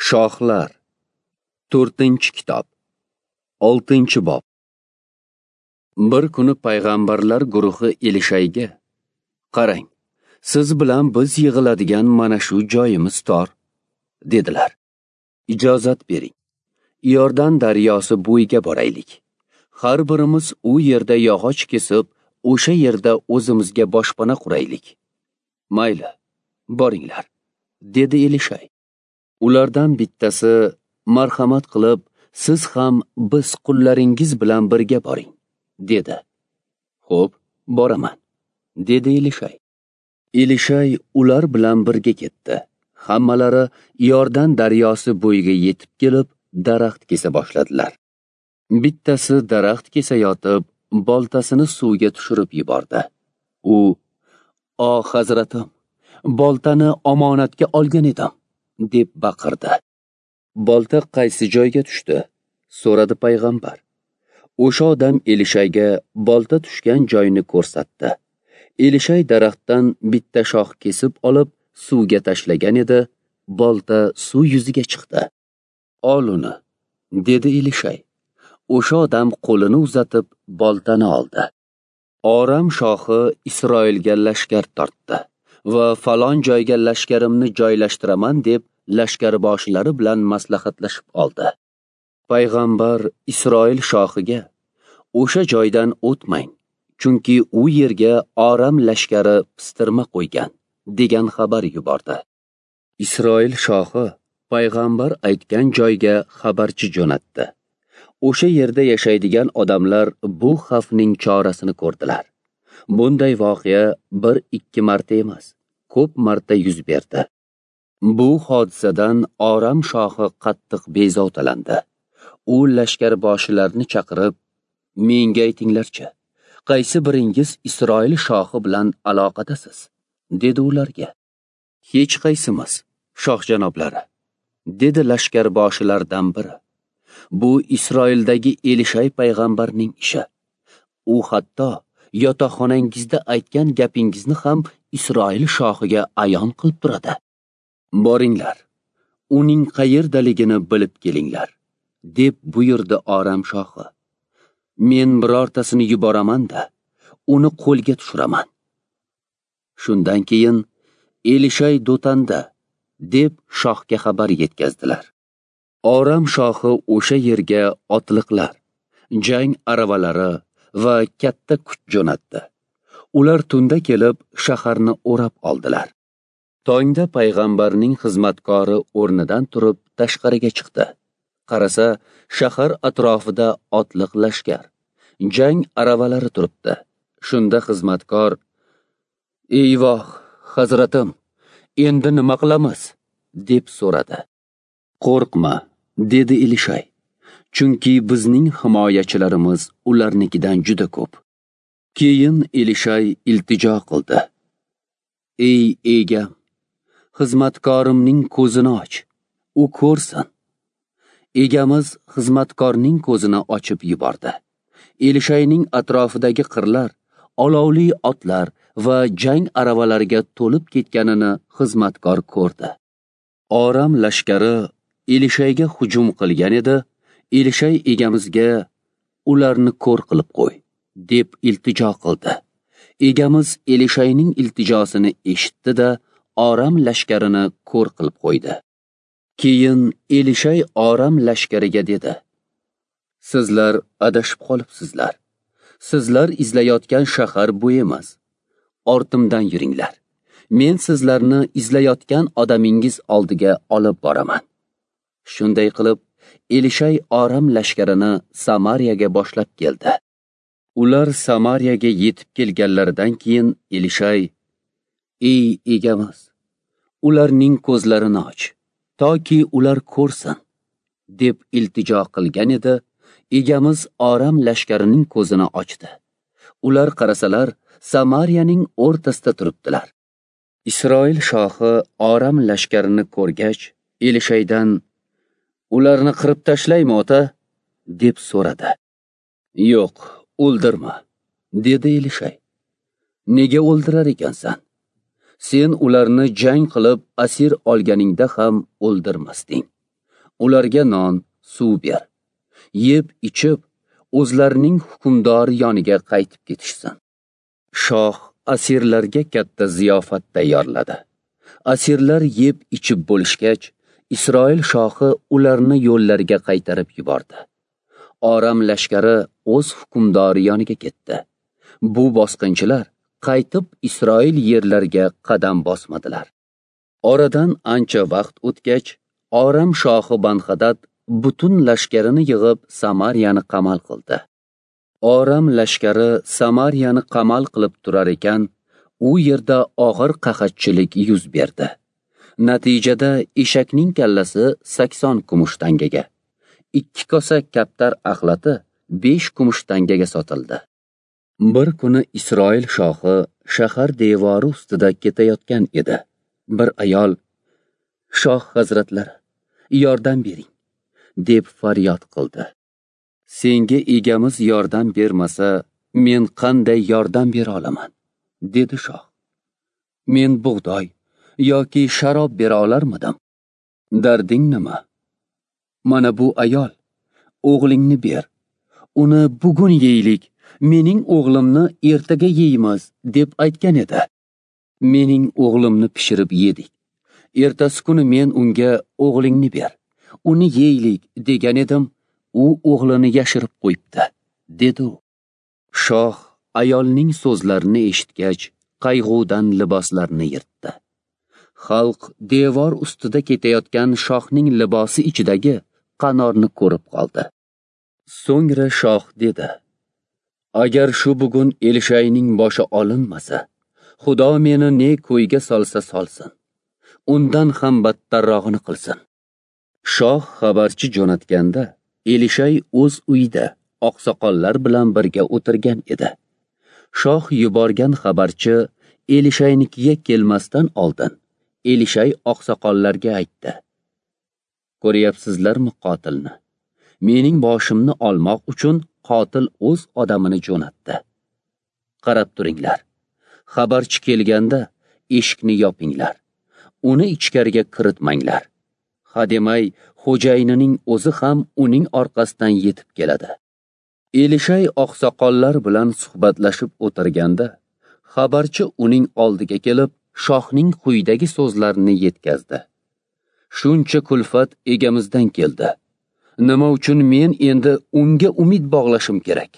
Shohlar, 4-kitob, 6-bob. Bir kuni payg'ambarlar guruhi Elishayga: "Qarang, siz bilan biz yig'iladigan mana shu joyimiz tor", dedilar. "Ijozat bering. Iordan daryosi bo'yiga boraylik. Har birimiz u yerda yog'och kesib, o'sha yerda o'zimizga boshpana quraylik." "Mayli, boringlar", dedi Elishay. Ulardan bittasi: "Marhamat qilib, siz ham biz qullaringiz bilan birga boring", dedi. "Xo'p, boraman", dedi Elishay. Elishay ular bilan birga ketdi. Hammalari Iordan daryosi bo'yiga yetib kelib, daraxt kesa boshladilar. Bittasi daraxt kesayotib, boltasini suvga tushirib yubordi. U: "Oh, hazratim, boltani omonatga olgan edim", deb baqirdi. "Bolta qaysi joyga tushdi?" so'radi payg'ambar. O'sha odam Elishayga bolta tushgan joyni ko'rsatdi. Elishay daraxtdan bitta shox kesib olib, suvga tashlagan edi, bolta suv yuziga chiqdi. "Ol uni", dedi Elishay. O'sha odam qo'lini uzatib boltani oldi. Oram shohi Isroilga lashkar tortdi va falon joyga lashkarimni joylashtiraman deb lashkarboshilari bilan maslahatlashib oldi. Payg'ambar Isroil shohiga: "O'sha joydan o'tmang, chunki u yerga Oram lashkari pistirma qo'ygan", degan xabar yubordi. Isroil shohi payg'ambar aytgan joyga xabarchi jo'natdi. O'sha yerda yashaydigan odamlar bu xavfning chorasini ko'rdilar. Bunday voqea 1-2 marta emas, ko'p marta yuz berdi. Bu hodisadan Oram shohi qattiq bezovtalandi. U lashkarboshilarni chaqirib: "Menga aytinglarchi, qaysi biringiz Isroil shohi bilan aloqadasiz?" dedi ularga. "Hech qaysimiz, shoh janoblari", dedi lashkarboshilardan biri. "Bu Isroildagi Elishay payg'ambarning ishi. U hatto yotoqxonangizda aytgan gapingizni ham Isroil shohiga ayon qilib turadi. Boringlar, uning qayerdaligini bilib kelinglar", deb buyurdi Oram shohi. "Men birortasini yuboraman-da, uni qo'lga tushiraman." Shundan keyin "Elishay Dotanda", deb shohga xabar yetkazdilar. Oram shohi o'sha yerga otliqlar, jang aravalari va katta kuch jo'natdi. Ular tunda kelib shaharni o'rab oldilar. Tongda payg'ambarning xizmatkori o'rnidan turib tashqariga chiqdi. Qarasa, shahar atrofida otliq lashkar, jang aravalari turibdi. Shunda xizmatkor: "Eyvoh, hazratim, endi nima qilamiz?" deb so'radi. "Qo'rqma", dedi Elishay, "chunki bizning himoyachilarimiz ularnikidan juda ko'p." Keyin Elishay iltijo qildi: "Ey egam, xizmatkorimning ko'zini och, u ko'rsin." Egamiz xizmatkorning ko'zini ochib yubordi. Elishayning atrofidagi qirlar olovli otlar va jang aravalariga to'lib ketganini xizmatkor ko'rdi. Oram lashkari Elishayga hujum qilgan edi. Elishay egamizga: "Ularni ko'r qilib qo'y", deb iltijo qildi. Egamiz Elishayning iltijosini eshitdi-da, Oram lashkarini ko'r qilib qo'ydi. Keyin Elishay Oram lashkariga dedi: "Sizlar adashib qolibsizlar. Sizlar izlayotgan shahar bu emas. Ortimdan yuringlar. Men sizlarni izlayotgan odamingiz oldiga olib boraman." Shunday qilib, Elishay Oram lashkarini Samariyaga boshlab keldi. Ular Samariyaga yetib kelganlaridan keyin Elishay: "Ey egamiz, ularning ko'zlarini och, toki ular ko'rsin", deb iltijo qilgan edi. Egamiz Oram lashkarining ko'zini ochdi. Ular qarasalar, Samariyaning o'rtasida turibdilar. Isroil shohi Oram lashkarini ko'rgach, Elishaydan: "Ularni qirib tashlaymi, ota?" deb so'radi. "Yo'q, o'ldirma", dedi Elishay. "Nega o'ldirar ekansan? Sen ularni jang qilib asir olganingda ham o'ldirmasding. Ularga non, suv ber. Yeb ichib, o'zlarining hukmdori yoniga qaytib ketishsin. Shoh asirlarga katta ziyofat tayyorladi. Asirlar yeb ichib bo'lishgach, Isroil shohi ularni yo'llariga qaytarib yubordi. Oram lashkari o'z hukmdori yoniga ketdi. Bu bosqinchilar qaytib Isroil yerlariga qadam bosmadilar. Oradan ancha vaqt o'tgach, Oram shohi Banxadad butun lashkarini yig'ib Samariyani qamal qildi. Oram lashkari Samariyani qamal qilib turar ekan, u yerda og'ir qahatchilik yuz berdi. Natijada eshakning kallasi 80 kumush tangaga, 2 kosa kaptar axlati 5 kumush tangaga sotildi. Bir kuni Isroil shohi shahar devori ustida ketayotgan edi. Bir ayol: "Shoh hazratlari, yordam bering", deb faryod qildi. "Senga egamiz yordam bermasa, men qanday yordam bera olaman?" dedi shoh. "Men bug'doy yoki sharob bera olarmidim? Darding nima? Mana bu ayol, o'g'lingni ber. Uni bugun yeylik, mening o'g'limni ertaga yeymiz, deb aytgan edi. Mening o'g'limni pishirib yedik. Ertasi kuni men unga o'g'lingni ber, uni yeylik degan edim, u o'g'lini yashirib qo'yibdi", dedi u. Shoh ayolning so'zlarini eshitgach, qayg'udan liboslarini yirtdi. Xalq devor ustida ketayotgan shohning libosi ichidagi qanorni ko'rib qoldi. So'ngra shoh dedi: "Agar shu bugun Elishayning boshi olinmasa, Xudo meni ne ko'yga solsa solsin, undan ham battarrog'ini qilsin." Shoh xabarchi jo'natganda Elishay o'z uyida oqsoqollar bilan birga o'tirgan edi. Shoh yuborgan xabarchi Elishaynikiga kelmasdan oldin Elishay oqsoqollarga aytdi: "Ko'ryapsizlarmi qotilni? Mening boshimni olmoq uchun qotil o'z odamini jo'natdi. Qarab turinglar. Xabarchi kelganda eshikni yopinglar. Uni ichkariga kiritmanglar. Hademay xo'jayinining o'zi ham uning orqasidan yetib keladi." Elishay oqsoqollar bilan suhbatlashib o'tirganda, xabarchi uning oldiga kelib, shohning quyidagi so'zlarini yetkazdi: "Shuncha kulfat egamizdan keldi. Nima uchun men endi unga umid bog'lashim kerak?